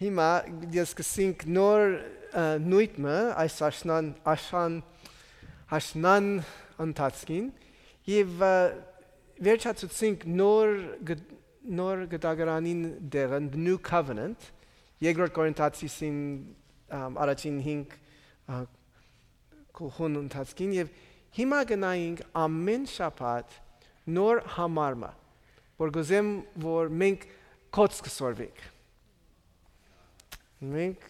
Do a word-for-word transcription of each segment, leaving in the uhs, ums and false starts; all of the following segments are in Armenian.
Հիմա ես կսինք նոր նույթը այս աշնան աշան աշնան ընթացքին եւ վերջացուցինք նոր նոր գտագարանին դերն New Covenant երկրորդ Կորինթացիին առաջին հինգ կողուն ընթացքին եւ հիմա գնայինք ամեն շաբաթ նոր համարմա որ գուզեմ որ մենք կոց կսորվենք մենք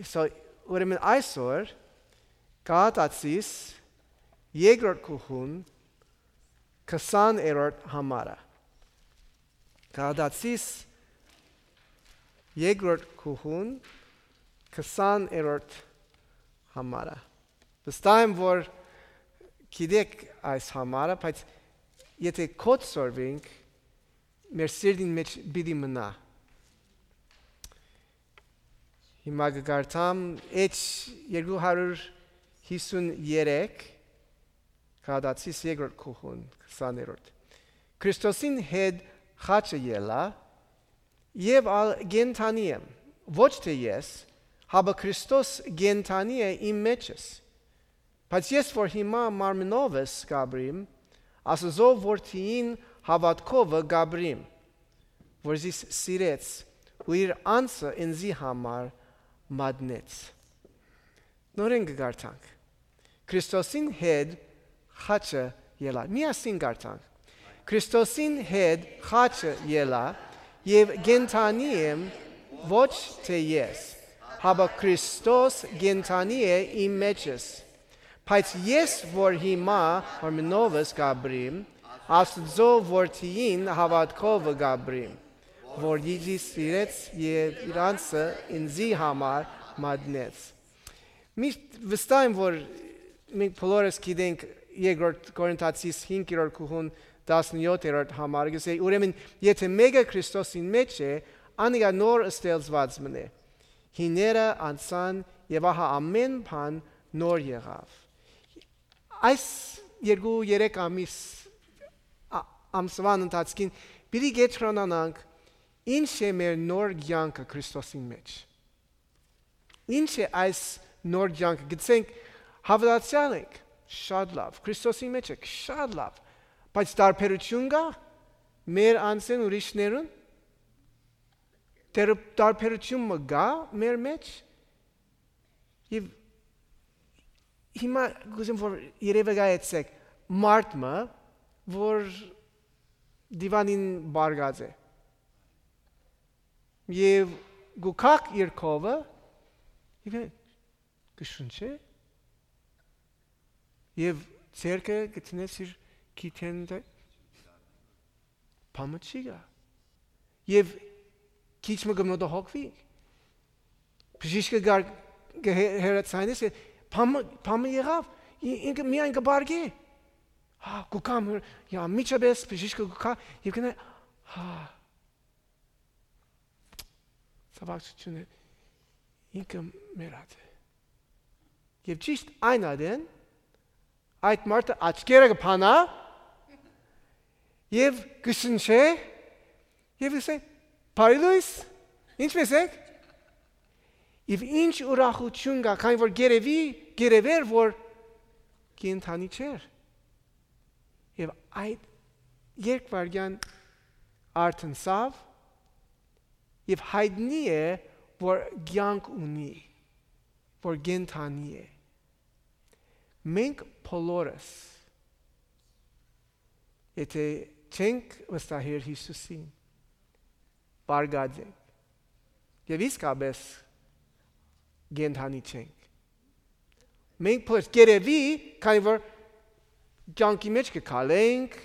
so ուրեմն այսօր կատացիս երկրորդ կողուն քսաներորդ համարը կատացիս երկրորդ կողուն քսաներորդ համարը վստահ եմ որ գիտեք այս համարը բայց եթե կոց սորվենք մեր սիրտին մեջ պիտի մնա Հիմա գարտամ H երկու հարյուր հիսուներեք կադացիս երկրորդ կողուն քսաներորդ Քրիստոսին հետ խաչը ելա եւ ալ գենթանի եմ ոչ թե ես հաբա Քրիստոս գենթանի է իմ մեջս բայց ես որ հիմա մարմնովս գաբրիմ ասազո որդին հավատքով գաբրիմ որ զիս սիրեց ու իր անձը ինձի համար մատնեց նորեն գարտանք Քրիստոսին հետ խաչը ելա միասին գարտանք Քրիստոսին հետ խաչը ելա եւ գենթանի եմ ոչ թե ես հաբա Քրիստոս գենթանի է իմ մեջս բայց ես որ հիմա մարմնովս գաբրիմ աստծո որդին հավատքով գաբրիմ որ դիզի սիրեց եւ իրանցը ինձի համար մատնեց միշտ վստահ եմ որ մենք բոլորս գիտենք երկրորդ Կորինթացիս հինգերորդ կողուն տասնյոթերորդ համարը գսե ուրեմն եթե մեկը Քրիստոսին մեջ է անիկա նոր ստեղծված մնե հիները անցան եւ ահա ամեն բան նոր եղավ այս երկու երեք ամիս ամսվան ընթացքին պիտի գետրոնանանք Ինչ է մեր նոր կյանքը Քրիստոսին մեջ Ինչ է այս նոր կյանքը գցենք հավատացյալ ենք շատ լավ Քրիստոսի մեջ եք շատ լավ բայց տարբերություն կա մեր անձն ուրիշներուն տարբերությունը կա մեր մեջ եւ հիմա գուզեմ որ երևի գայեցեք մարդը որ դիվանին բարգած է Եվ գուքակ երկովը եւ գշունչե եւ ցերկը գտնես իր քիթենը փամչիգա եւ քիչ մգնոտ հոգվի բժիշկը գար հերացանես փամ փամը եղավ ինքը միայն կբարգի հա գուկամ յա միչաբես բժիշկը գուկա եւ կնա հա Սավակցությունը ինքը մերած է։ Եվ ճիշտ այն ադեն, այդ մարդը աչքերը կփանա և կշնչե և կսե, բարի լույս, ինչպես եք։ Եվ ինչ ուրախություն կա, քանի որ գերևի, գերևեր, որ կենթանի չեր։ Եվ այդ երկվարգյան արթնսավ Եվ հայտնի է, որ կյանք ունի, որ գենթանի է։ Մենք բոլորս, եթե չենք վստահել Հիսուսին, բարգած ենք, և իսկապես գենթանի չենք։ Մենք բոլորս գերևի, քանի որ կյանքի մեջ կքալենք,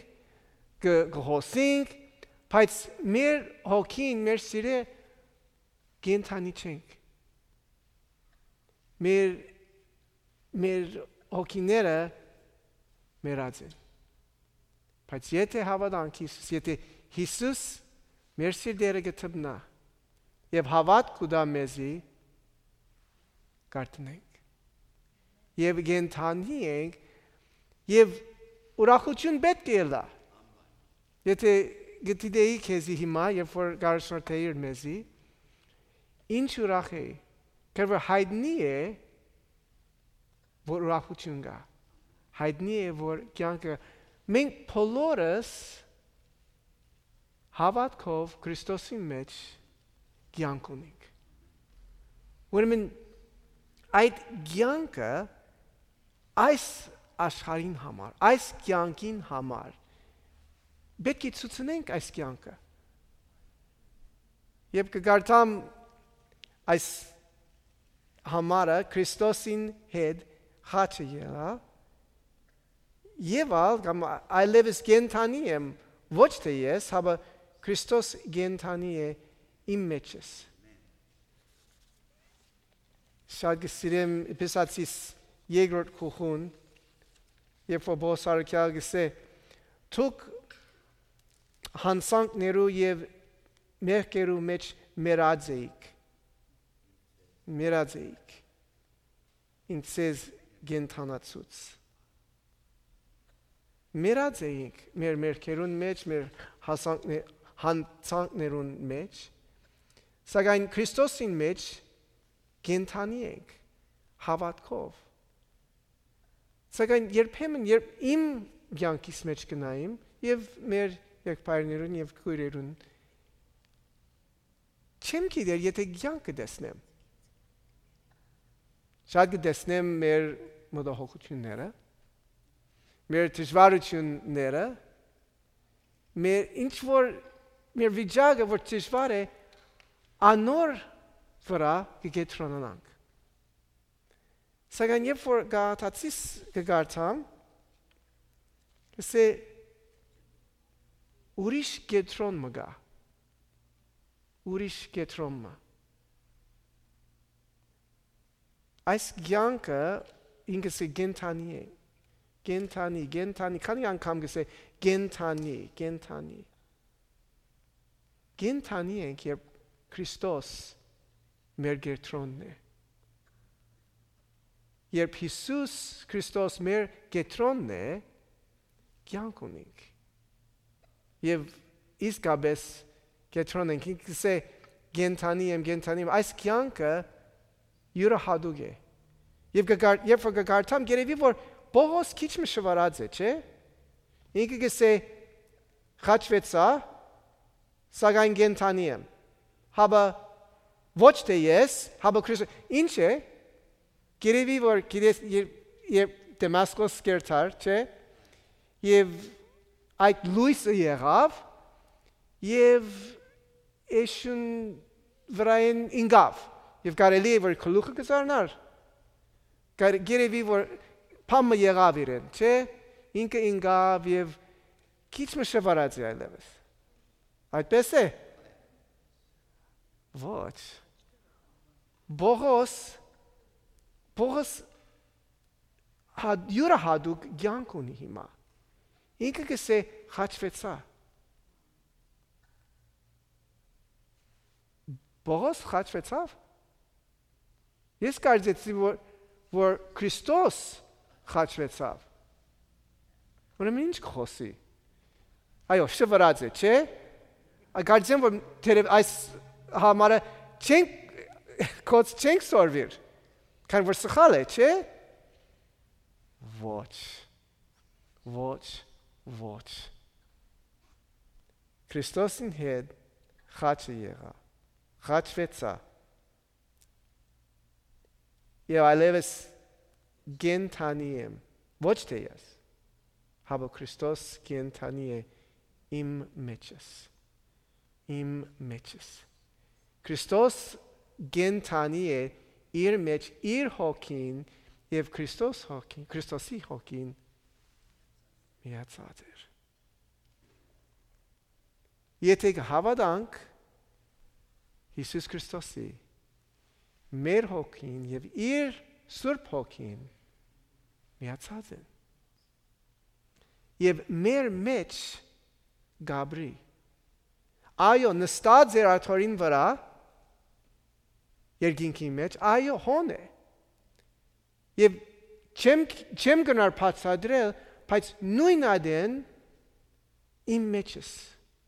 կհոսենք, Բայց մեր հոգին, մեր սիրը գենթանի չենք։ Մեր, մեր հոգիները մերած են։ Բայց եթե հավատանք Հիսուս, եթե Հիսուս մեր սիրտերը գտնա եւ հավատ կուտա մեզի, կարտնենք։ Եվ գենթանի ենք եւ ուրախություն պետք է լա։ Եթե գտիդեի քեզի հիմա, երբ որ գարշնորդեիր մեզի, ինչ ուրախ է, քանի որ հայտնի է, որ ուրախություն կա, հայտնի է, որ կյանքը, մենք բոլորս հավատքով Քրիստոսի մեջ կյանք ունենք։ Ուրեմն այդ կյանքը այս աշխարհին համար, այս կյանքին համար պետք է ցուցնենք այս կյանքը։ Եվ կգարտամ այս համարը Քրիստոսին հետ խաչը եղա, եւ ալ կամ այլևս կենթանի եմ, ոչ թե ես, հապա Քրիստոս կենթանի է իմ մեջս։ Շատ գսիրեմ Էփեսացիս երկրորդ գլխուն, երբ որ Պողոս առաքյալը գսե, «Դուք հանցանքներու եւ մեղքերու մեջ մեռած էիք, մեռած էիք, ինձ կենթանացուց»։ Մեռած էիք մեր մեղքերուն մեջ, մեր հանցանքներուն մեջ, սակայն Քրիստոսին մեջ կենթանի ենք հավատքով։ Սակայն երբեմն երբ իմ կյանքիս մեջ գնայım եւ մեր եղբայրներուն եւ քույրերուն չեմ գիտեր եթե կյանքը տեսնեմ։ Շատ կտեսնեմ մեր մտահոգությունները, մեր դժվարությունները, մեր ինչ որ մեր վիճակը որ դժվար է, անոր վրա կգետրոնանանք։ Սակայն երբ որ Գաղատացիս կգարտամ, կսե ուրիշ գետրոն մը գա, ուրիշ գետրոն մը։ Այս կյանքը ինքս է գենթանի է, գենթանի, գենթանի, քանի անգամ կսե գենթանի, գենթանի։ Գենթանի ենք, երբ Քրիստոս մեր գետրոնն է։ Երբ Հիսուս Քրիստոս մեր գետրոնն է, կյանք ունենք։ Եվ իսկապես գետրոն ենք, ինքս է գենթանի եմ, գենթանի եմ, այս կյանքը յուրահատուկ է։ Եվ երբ որ կգարտամ, գերևի որ Պողոս քիչ մը շվարած է, չէ՞։ Ինքը կսե խաչվեցա, սակայն գենթանի եմ։ Հապա ոչ թե ես, հապա Քրիստոս, ինչ է։ Գերևի որ գիտես երբ Դեմասկոս կերտար, չէ՞։ Եվ այդ լույսը եղավ եւ էշուն վրային ինգավ եւ կարելի է որ գլուխը կզարնար։ Գերևի որ փամը եղավ իրեն, չէ՞։ Ինքը ինգավ եւ քիչ մը շվարած է այլևս։ Այդպես է։ Ոչ։ Պողոս Պողոս յուրահատուկ կյանք ունի հիմա։ Ինքը կսե խաչվեցա։ Պողոս խաչվեցավ։ Ես կարծեցի որ որ Քրիստոս խաչվեցավ։ Ուրեմն ինչ կխոսի։ Այո, շվարած է, չէ՞։ Կարծեմ որ թերև այս համարը չենք կոց չենք սորվիր։ Քան որ սխալ է, չէ՞։ Ոչ, ոչ, ոչ։ Քրիստոսին հետ խաչը եղա, խաչվեցա։ Եվ այլևս գենթանի եմ, ոչ թե ես, հապա Քրիստոս գենթանի է իմ մեջս, իմ մեջս։ Քրիստոս գենթանի է իր մեջ իր հոգին եւ Քրիստոս հոգին, Քրիստոսի հոգին միացած էր։ Եթե հավատանք Հիսուս Քրիստոսի մեր հոգին եւ իր Սուրբ հոգին միացած են։ Եվ մեր մեջ գաբրի։ Այո, նստած էր աթորին վրա երկինքի մեջ, այո, հոն է։ Եվ չեմ, չեմ գնար բացատրել, բայց նույն ադեն իմ մեջս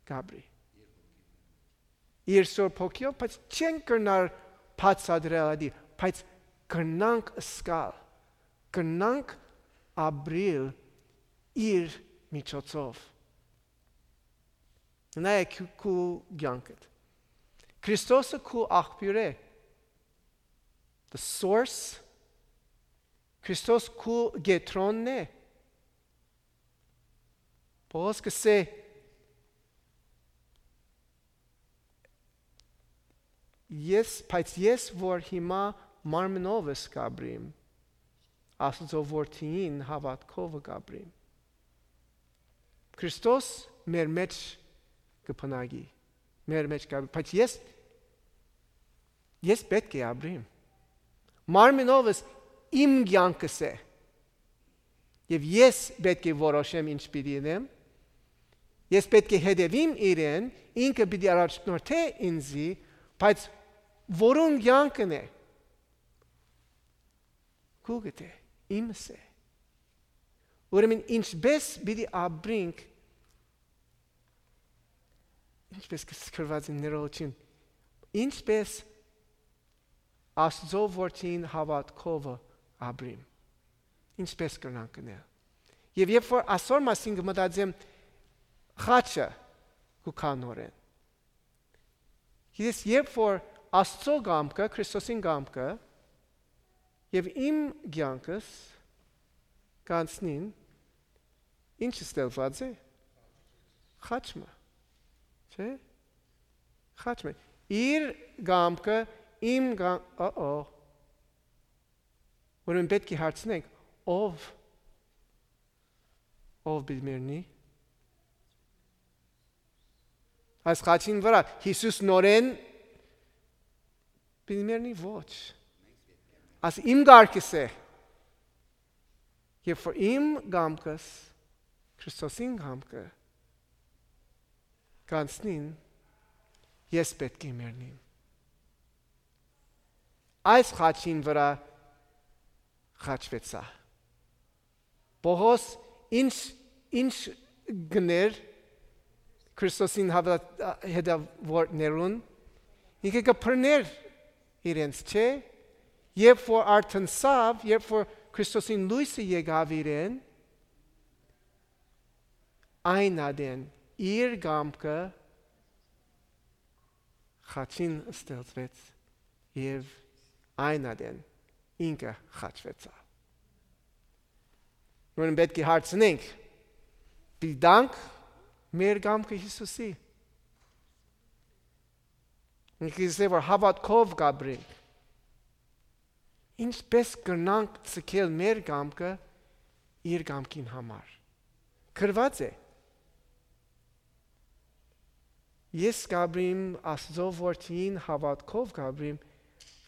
գաբրի։ Իր Սուրբ հոգիով, բայց չեն գնար բացատրելի, բայց կրնանք սկալ, կրնանք ապրիլ իր միջոցով։ Նայեք քու կյանքդ։ Քրիստոսը քու աղբյուր է։ The source. Քրիստոս քու գետրոնն է։ Պողոս կսե ես, բայց ես որ հիմա մարմնով ես կաբրիմ, Աստծո որդին հավատքով կաբրիմ։ Քրիստոս մեր մեջ կփնագի, մեր մեջ կաբրիմ, բայց ես ես պետք է ապրիմ։ Մարմնով ես իմ կյանքս է։ Եվ ես պետք է որոշեմ ինչ պիտի անեմ։ Ես պետք է հետևեմ իրեն, ինքը պիտի առաջնորդե ինձի, բայց որուն կյանքն է։ Քուգդ է, իմս է։ Ուրեմն ինչպես պիտի ապրենք, ինչպես կսկրված են ներողություն, ինչպես Աստծո որդին հավատքով ապրիմ։ Ինչպես կրնանք անել։ Եվ երբ որ այսօր մասին կմտածեմ խաչը կուքանորեն։ Ես երբ որ Աստծո կամքը, Քրիստոսին կամքը եւ իմ կյանքս կանցնին, ինչ ստեղծված է։ Խաչը։ Չէ՞։ Խաչը։ Իր կամքը իմ կամքը, օ-օ։ Ուրեմն պետք է հարցնենք, ով ով բիլմերնի։ Այս խաչին վրա Հիսուս նորեն բիլմերնի ոչ։ Այս իմ գարկս է։ Եվ որ իմ կամքս, Քրիստոսին կամքը կանցնին, ես պետք է մեռնիմ։ Այս խաչին վրա խաչվեցա։ Պողոս ինչ ինչ գներ Քրիստոսին հետևորդներուն, ինքը կփրներ իրենց, չէ՞։ Երբ որ արթնացավ, երբ որ Քրիստոսին լույսը եկավ իրեն, այն ադեն իր կամքը խաչին ստեղծվեց եւ այն ադեն ինքը խաչվեցավ։ Ուրեմն պետք է հարցնենք, դիտանք մեր կամքը Հիսուսի։ Ինքը ասել որ հավատքով կապրենք։ Ինչպես կրնանք ցկել մեր կամքը իր կամքին համար։ Գրված է։ Ես կապրիմ Աստծո որդին հավատքով կապրիմ,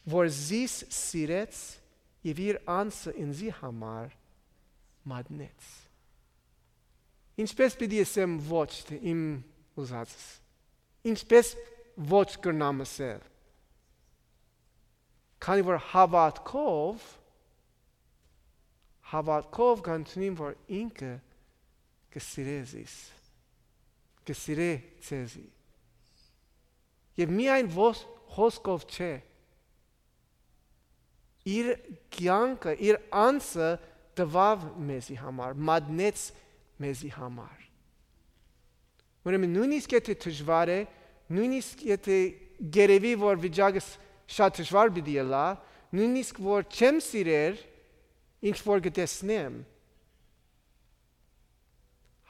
որ զիս սիրեց եւ իր անձը ինձի համար մատնեց։ Ինչպես պիտի ասեմ ոչ թե իմ ուզածս։ Ինչպես ոչ կրնամ ասել։ Քանի որ հավատքով հավատքով կանցնեմ որ ինքը կսիրե զիս։ Կսիրե ցեզի։ Եվ միայն խոսքով չէ։ Իր կյանքը, իր անձը տվավ մեզի համար, մատնեց մեզի համար։ Ուրեմն նույնիսկ եթե դժվար է, նույնիսկ եթե գերեվի որ վիճակս շատ դժվար պիտի լա, նույնիսկ որ չեմ սիրեր, ինչ որ կտեսնեմ,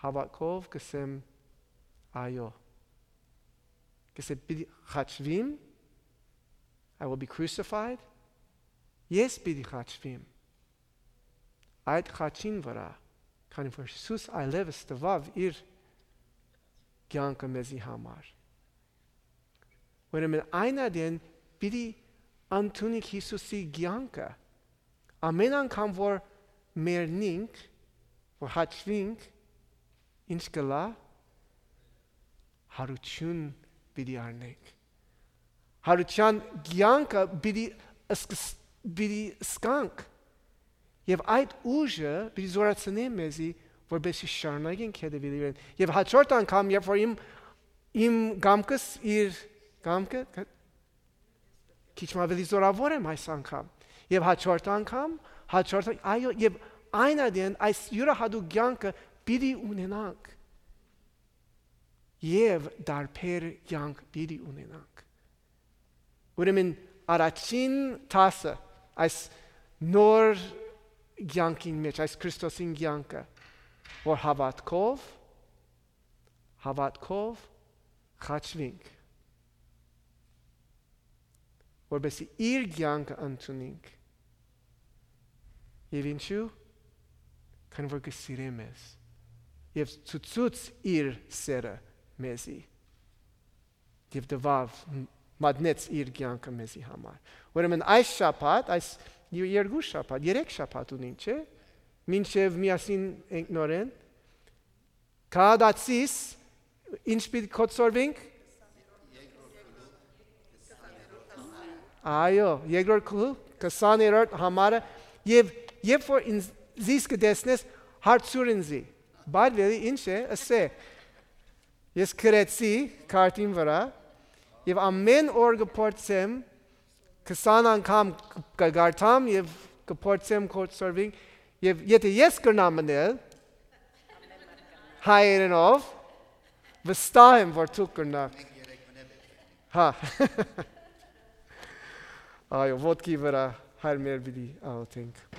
հավատքով կսեմ այո։ Կսեմ պիտի խաչվիմ, I will be crucified, ես պիտի խաչվիմ։ Այդ խաչին վրա, քանի որ Հիսուս այլևս տվավ իր կյանքը մեզի համար։ Ուրեմն այն ադեն պիտի ընդունենք Հիսուսի կյանքը, ամեն անգամ որ մեռնենք, որ հաճվենք, ինչ կլա, հարություն պիտի առնենք։ Հարության կյանքը պիտի սկանք։ Եվ այդ ուժը պիտի զորացնե մեզի, որպեսզի շարունակենք հետևել իրեն։ Եվ հաջորդ անգամ, երբ որ իմ իմ կամքս իր կամքը քիչ ավելի զորավոր եմ այս անգամ։ Եվ հաջորդ անգամ, հաջորդ այո, եւ այն adien այս յուրահատուկ կյանքը պիտի ունենանք։ Եվ դարբեր կյանք պիտի ունենանք։ Ուրեմն առաջին տասը այս նոր կյանքին մեջ, այս Քրիստոսին կյանքը, որ հավատքով, հավատքով խաչվենք, որպեսզի իր կյանքը ընդունենք։ Եվ ինչու՞, քան որ կսիրե մեզ, եւ ցույց իր սերը մեզի, եւ դվավ մատնեց իր կյանքը մեզի համար։ Ուրեմն այս շաբաթ, այս երկու շաբաթ, երեք շաբաթ ունենք, չէ՞, մինչև միասին ենք նորեն, քահանացիս, ինչ պիտի կոչվենք։ Այո, երկրորդ գլուխ, քսաներորդ համարը, եւ երբ որ ինձ կտեսնես, հարցուր ինձի, բայց ինչ է, ասե, ես գրեցի քարտին վրա, եւ ամեն օր կփորձեմ, քսան անգամ կգարտամ եւ կփորձեմ կոչվենք, եւ եթե ես կրնամ մնել, հայերենով, վստահ եմ, որ դուք կրնաք։ Հա։ Այո, ոտքի վրա հայր մեր պիտի աղոթենք։